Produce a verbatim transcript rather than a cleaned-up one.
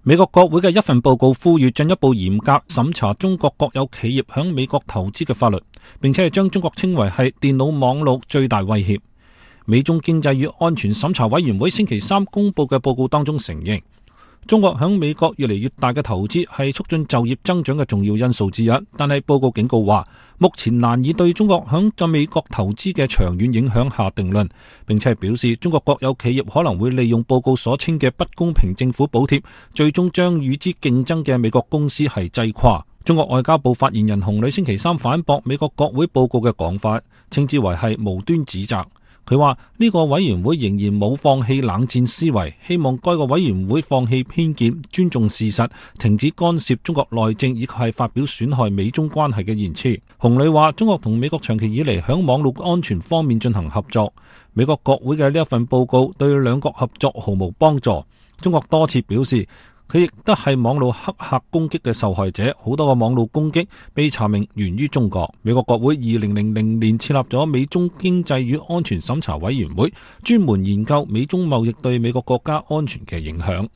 美國國會嘅一份報告呼籲進一步嚴格審查中國國有企業響美國投資嘅法律，並且係將中國稱為係電腦網絡最大威脅。美中經濟與安全審查委員會星期三公布嘅報告當中承認，中國響美國越嚟越大嘅投資係促進就業增長嘅重要因素之一，但係報告警告話，目前難以對中國響在美國投資嘅長遠影響下定論，並且係表示中國國有企業可能會利用報告所稱嘅不公平政府補貼，最終將與之競爭嘅美國公司係擠垮。中國外交部發言人洪磊星期三反駁美國國會報告嘅講法，稱之為係無端指責。佢話呢個委員會仍然冇放棄冷戰思維，希望該個委員會放棄偏見，尊重事實，停止干涉中國內政以及係發表損害美中關係嘅言辭。洪磊話，中國同美國長期以嚟響網絡安全方面進行合作，美國國會嘅呢一份報告對兩國合作毫無幫助。中國多次表示，佢亦都係網絡黑客攻擊嘅受害者，好多個網絡攻擊被查明源於中國。美國國會二零零零年設立咗美中經濟與安全審查委員會，專門研究美中貿易對美國國家安全嘅影響。